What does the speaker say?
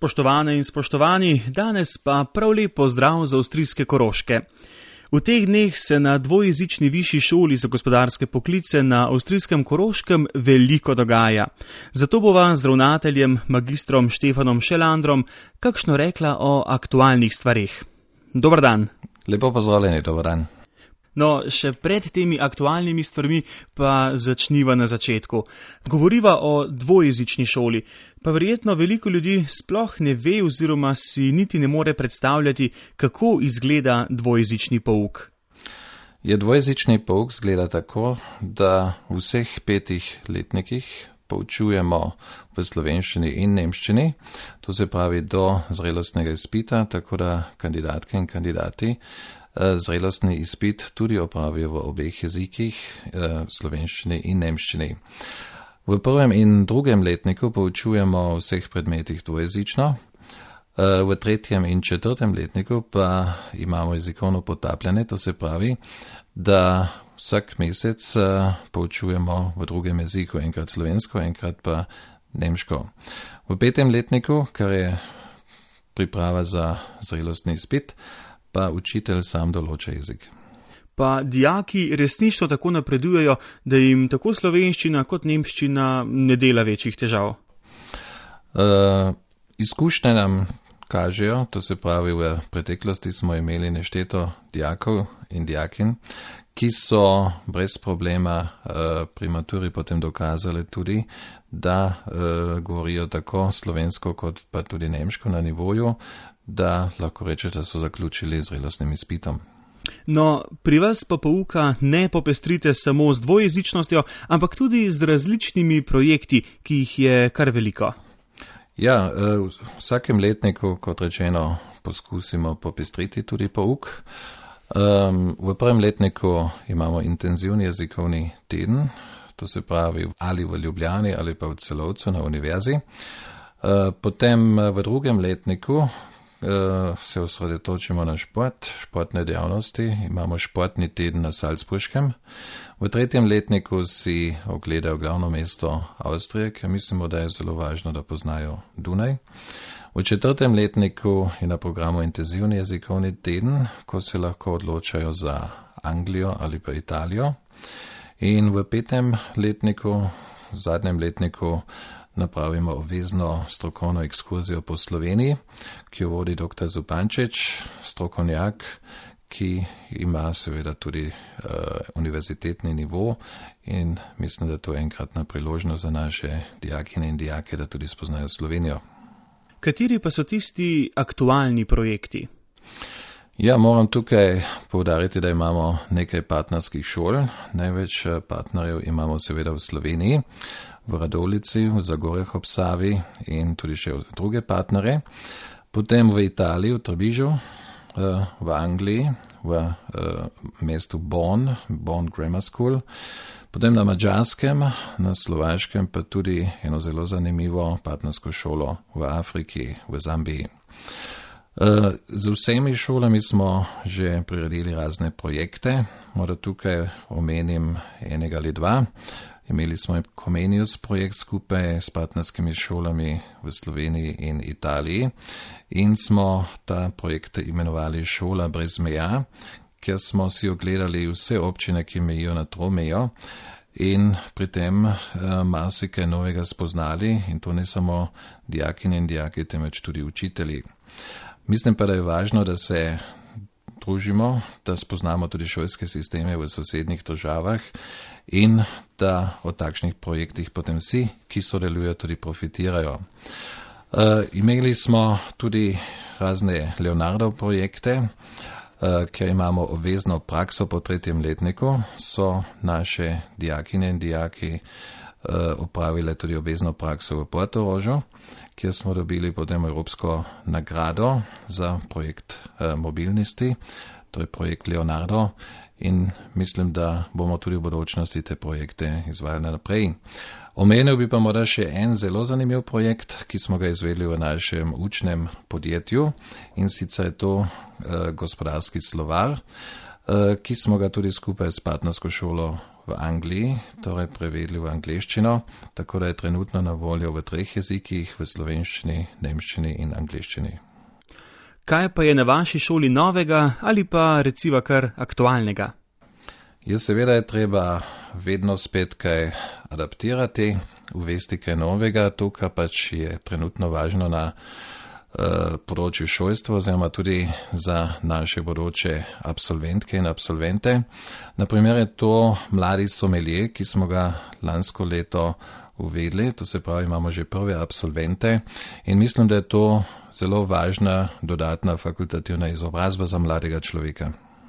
Spoštovane in spoštovani, danes pa prav lep pozdrav za avstrijske Koroške. V teh dneh se na dvojezični višji šoli za gospodarske poklice na avstrijskem Koroškem veliko dogaja. Zato bova z ravnateljem magistrom Štefanom Šelandrom kakšno rekla o aktualnih stvareh. Dobar dan. Lepo pozdravljeni, dobar dan. No, še pred temi aktualnimi stvarmi pa začniva na začetku. Govoriva o dvojezični šoli, pa verjetno veliko ljudi sploh ne ve oziroma si niti ne more predstavljati, kako izgleda dvojezični pouk. Dvojezični pouk izgleda tako, da v vseh 5 letnikih poučujemo v slovenščini in nemščini, to se pravi do zrelostnega izpita, tako da kandidatke in kandidati zrelostni izpit tudi opravijo v obeh jezikih, slovenščini in nemščini. V 1. in 2. letniku poučujemo v vseh predmetih dvojezično, v 3. in 4. letniku pa imamo jezikovno potapljanje, to se pravi, da vsak mesec poučujemo v 2. jeziku, enkrat slovensko, enkrat pa nemško. V 5. letniku, kar je priprava za zrelostni izpit, pa učitelj sam določa jezik. Pa dijaki resnično tako napredujejo, da jim tako slovenščina kot nemščina ne dela večjih težav? Izkušnje nam kažejo, to se pravi, v preteklosti smo imeli nešteto dijakov in dijakin, ki so brez problema pri maturi potem dokazali tudi, da govorijo tako slovensko kot pa tudi nemško na nivoju, da lahko reče, da so zaključili zrelostnim izpitom. No, pri vas pa pouka ne popestrite samo z dvojezičnostjo, ampak tudi z različnimi projekti, ki jih je kar veliko. Ja, v vsakem letniku, kot rečeno, poskusimo popestriti tudi pouk. V 1. letniku imamo intenzivni jezikovni teden, to se pravi ali v Ljubljani ali pa v Celovcu na univerzi. Potem v 2. letniku se osredotočimo na športne dejavnosti, imamo športni teden na Salzburškem. V 3. letniku si ogledajo glavno mesto Avstrije, ker mislimo, da je zelo važno, da poznajo Dunaj. V 4. letniku je na programu intenzivni jezikovni teden, ko se lahko odločajo za Anglijo ali pa Italijo. In v 5. letniku, zadnjem letniku, napravimo obvezno strokovno ekskurzijo po Sloveniji, ki jo vodi dr. Zupančič, strokovnjak, ki ima seveda tudi univerzitetni nivo in mislim, da to je enkratna priložnost za naše dijakine in dijake, da tudi spoznajo Slovenijo. Kateri pa so tisti aktualni projekti? Ja, moram tukaj poudariti, da imamo nekaj partnerskih šol. Največ partnerjev imamo seveda v Sloveniji, v Radovljici, v Zagorjah ob Savi in tudi še druge partnere. Potem v Italiji, v Trebižu, v Angliji, v mestu Bonn Grammar School. Potem na Madžarskem, na Slovaškem pa tudi eno zelo zanimivo partnersko šolo v Afriki, v Zambiji. Z vsemi šolami smo že priredili razne projekte, morda tukaj omenim enega ali dva. Imeli smo Comenius projekt skupaj s partnerskimi šolami v Sloveniji in Italiji in smo ta projekt imenovali Šola brez meja, kjer smo si ogledali vse občine, ki mejijo na tromejo in pri tem marsikaj novega spoznali in to ne samo dijakine in dijaki, temveč tudi učitelji. Mislim pa, da je važno, da se družimo, da spoznamo tudi šolske sisteme v sosednjih državah in da o takšnih projektih potem vsi, ki sodelujo, tudi profitirajo. Imeli smo tudi razne Leonardov projekte, ker imamo obvezno prakso po 3. letniku, so naše dijakine in dijaki opravile tudi obvezno prakso v Portorožu, kjer smo dobili potem evropsko nagrado za projekt mobilnosti, to je projekt Leonardo in mislim, da bomo tudi v bodočnosti te projekte izvajali naprej. Omenil bi pa morda še en zelo zanimiv projekt, ki smo ga izvedli v našem učnem podjetju in sicer je to gospodarski slovar, ki smo ga tudi skupaj s partnersko šolo v Angliji, torej prevedli v angleščino, tako da je trenutno na voljo v 3 jezikih, v slovenščini, nemščini in angleščini. Kaj pa je na vaši šoli novega ali pa reciva kar aktualnega? Ja, seveda je treba vedno spet kaj adaptirati, uvesti kaj novega, to, kar pač je trenutno važno na področju šolstva, oziroma tudi za naše bodoče absolventke in absolvente. Naprimer je to mladi sommelier, ki smo ga lansko leto uvedli, to se pravi, imamo že prve absolvente in mislim, da je to zelo važna dodatna fakultativna izobrazba za mladega človeka.